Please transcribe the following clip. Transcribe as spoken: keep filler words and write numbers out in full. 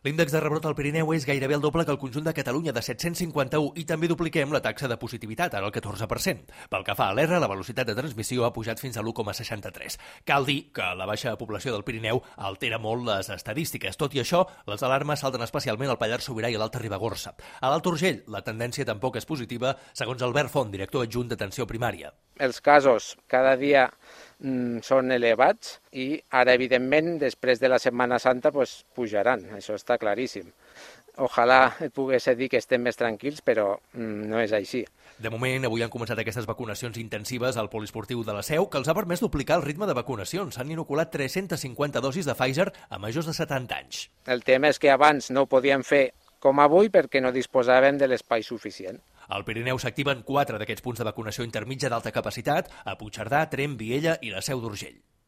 L'índex de rebrot al Pirineu és gairebé el doble que el conjunt de Catalunya, de set-cents cinquanta-u, i també dupliquem la taxa de positivitat, ara el catorze per cent. Pel que fa a l'R, la velocitat de transmissió ha pujat fins a l'u coma seixanta-tres. Cal dir que la baixa població del Pirineu altera molt les estadístiques. Tot i això, les alarmes salten especialment al Pallars Sobirà i a l'Alta Ribagorça. A l'Alt Urgell, la tendència tampoc és positiva, segons Albert Font, director adjunt d'atenció primària. Els casos cada dia mm, són elevats i ara, evidentment, després de la Setmana Santa, pues, pujaran. Això està claríssim. Ojalà et pogués dir que estem més tranquils, però mm, no és així. De moment, avui han començat aquestes vacunacions intensives al poliesportiu de la Seu, que els ha permès duplicar el ritme de vacunacions. S'han inoculat tres-centes cinquanta dosis de Pfizer a majors de setanta anys. El tema és que abans no ho podíem fer com avui perquè no disposàvem de l'espai suficient. Al Pirineu s'activen quatre d'aquests punts de vacunació intermitja d'alta capacitat a Puigcerdà, Tremp, Viella i la Seu d'Urgell.